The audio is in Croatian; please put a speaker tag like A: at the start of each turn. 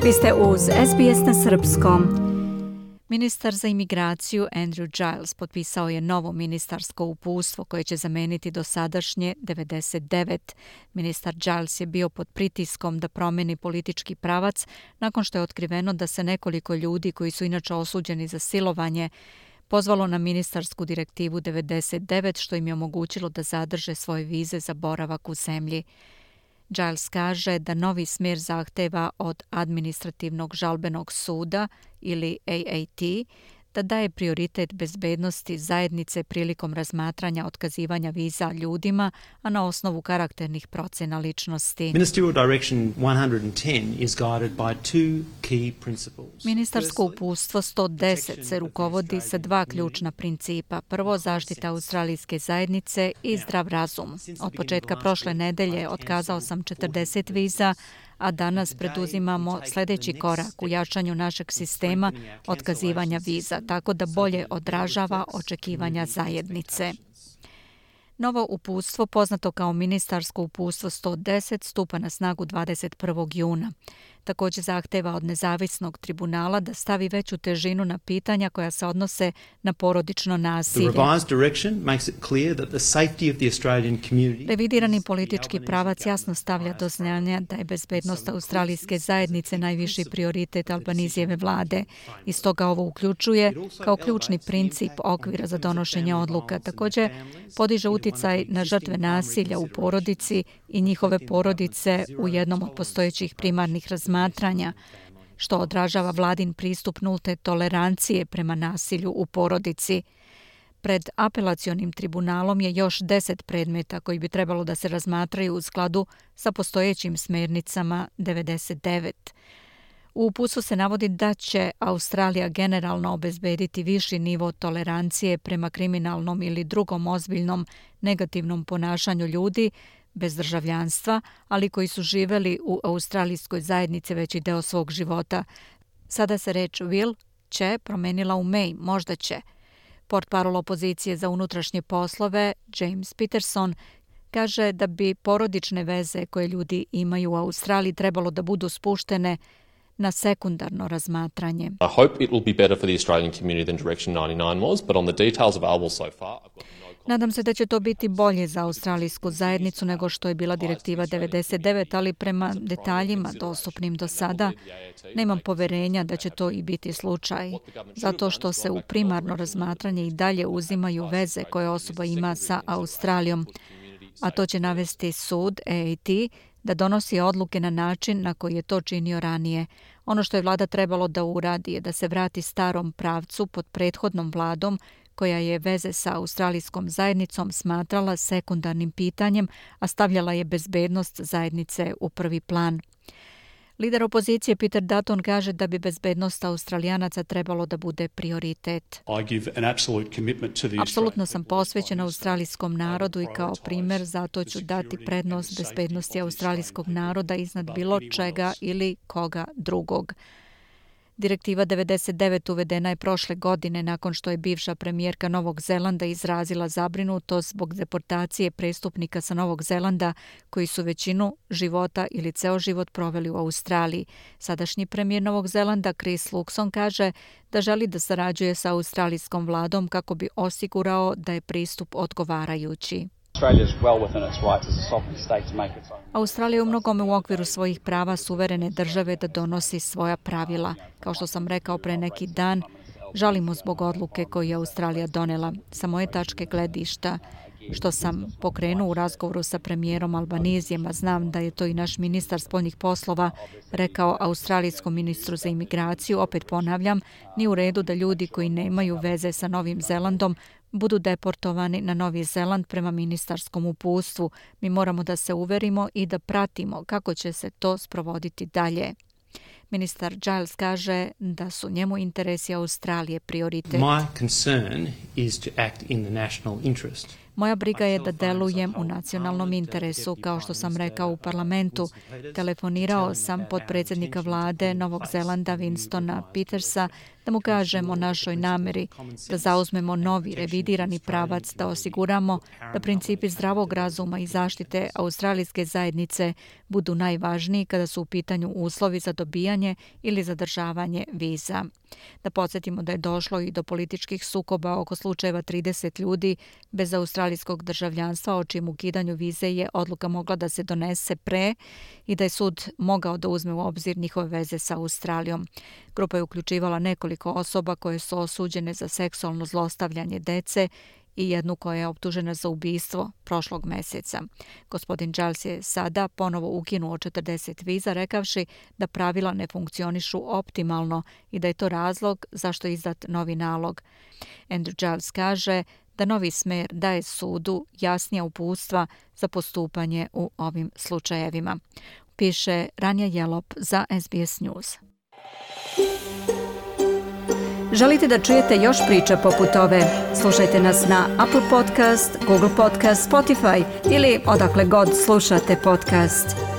A: Vi ste uz SBS na srpskom. Ministar za imigraciju Andrew Giles potpisao je novo ministarsko uputstvo koje će zameniti dosadašnje 99. Ministar Giles je bio pod pritiskom da promeni politički pravac nakon što je otkriveno da se nekoliko ljudi koji su inače osuđeni za silovanje pozvalo na ministarsku direktivu 99 što im je omogućilo da zadrže svoje vize za boravak u zemlji. Giles kaže da novi smjer zahteva od administrativnog žalbenog suda ili AAT da daje prioritet bezbednosti zajednice prilikom razmatranja otkazivanja viza ljudima, a na osnovu karakternih procena ličnosti.
B: Ministerial Direction 110 is guided by two key principles.
A: Ministarsko uputstvo 110 se rukovodi sa dva ključna principa. Prvo, zaštita australijske zajednice i zdrav razum. Od početka prošle nedelje otkazao sam 40 viza, a danas preduzimamo sljedeći korak u jačanju našeg sistema otkazivanja viza, tako da bolje odražava očekivanja zajednice. Novo uputstvo, poznato kao ministarsko uputstvo 110, stupa na snagu 21. juna. Također zahteva od nezavisnog tribunala da stavi veću težinu na pitanja koja se odnose na porodično nasilje. Revidirani politički pravac jasno stavlja do znanja da je bezbednost australijske zajednice najviši prioritet Albanizijeve vlade. I stoga ovo uključuje kao ključni princip okvira za donošenje odluka. Također podiže uticaj na žrtve nasilja u porodici i njihove porodice u jednom od postojećih primarnih razmatranja, što odražava vladin pristup nulte tolerancije prema nasilju u porodici. Pred apelacionim tribunalom je još 10 predmeta koji bi trebalo da se razmatraju u skladu sa postojećim smjernicama 99. U uputstvu se navodi da će Australija generalno obezbediti viši nivo tolerancije prema kriminalnom ili drugom ozbiljnom negativnom ponašanju ljudi bez državljanstva, ali koji su živjeli u australijskoj zajednici veći deo svog života. Sada se reč will će promenila u may, možda će. Portparol opozicije za unutrašnje poslove James Peterson kaže da bi porodične veze koje ljudi imaju u Australiji trebalo da budu spuštene na sekundarno razmatranje.
C: I hope it will be better for the Australian community than Direction 99 was, but on the details available so far, I've got no...
A: Nadam se da će to biti bolje za australijsku zajednicu nego što je bila direktiva 99, ali prema detaljima dostupnim do sada nemam poverenja da će to i biti slučaj, zato što se u primarno razmatranje i dalje uzimaju veze koje osoba ima sa Australijom, a to će navesti sud AAT da donosi odluke na način na koji je to činio ranije. Ono što je vlada trebalo da uradi je da se vrati starom pravcu pod prethodnom vladom koja je veze sa australijskom zajednicom smatrala sekundarnim pitanjem, a stavljala je bezbednost zajednice u prvi plan. Lider opozicije Peter Dutton kaže da bi bezbednost Australijanaca trebalo da bude prioritet. Apsolutno sam posvećen australijskom narodu i kao primjer zato ću dati prednost bezbednosti australijskog naroda iznad bilo čega ili koga drugog. Direktiva 99 uvedena je prošle godine nakon što je bivša premijerka Novog Zelanda izrazila zabrinutost zbog deportacije prestupnika sa Novog Zelanda koji su većinu života ili ceo život proveli u Australiji. Sadašnji premijer Novog Zelanda Chris Luxon kaže da želi da sarađuje sa australijskom vladom kako bi osigurao da je pristup odgovarajući. Australija je u mnogome u okviru svojih prava suverene države da donosi svoja pravila. Kao što sam rekao pre neki dan, žalimo zbog odluke koju je Australija donela. Sa moje tačke gledišta, što sam pokrenuo u razgovoru sa premijerom Albanizijem, a znam da je to i naš ministar spoljnih poslova rekao australijskom ministru za imigraciju, opet ponavljam, ni u redu da ljudi koji nemaju veze sa Novim Zelandom budu deportovani na Novi Zeland prema ministarskom uputstvu. Mi moramo da se uverimo i da pratimo kako će se to sprovoditi dalje. Ministar Giles kaže da su njemu interesi Australije prioritet. Moja briga je da delujem u nacionalnom interesu, kao što sam rekao u parlamentu. Telefonirao sam potpredsjednika vlade Novog Zelanda Winstona Petersa da mu kažem o našoj nameri da zauzmemo novi revidirani pravac, da osiguramo da principi zdravog razuma i zaštite australijske zajednice budu najvažniji kada su u pitanju uslovi za dobijanje ili zadržavanje viza. Da podsjetimo da je došlo i do političkih sukoba oko slučajeva 30 ljudi bez australijskog državljanstva, o čim ukidanju vize je odluka mogla da se donese pre i da je sud mogao da uzme u obzir njihove veze sa Australijom. Grupa je uključivala nekoliko osoba koje su osuđene za seksualno zlostavljanje dece i jednu koja je optužena za ubistvo prošlog meseca. Gospodin Giles je sada ponovo ukinuo 40 viza, rekavši da pravila ne funkcionišu optimalno i da je to razlog zašto je izdat novi nalog. Andrew Giles kaže da novi smer daje sudu jasnija uputstva za postupanje u ovim slučajevima. Piše Ranja Jelop za SBS News. Želite da čujete još priča poput ove? Slušajte nas na Apple Podcast, Google Podcast, Spotify ili odakle god slušate podcast.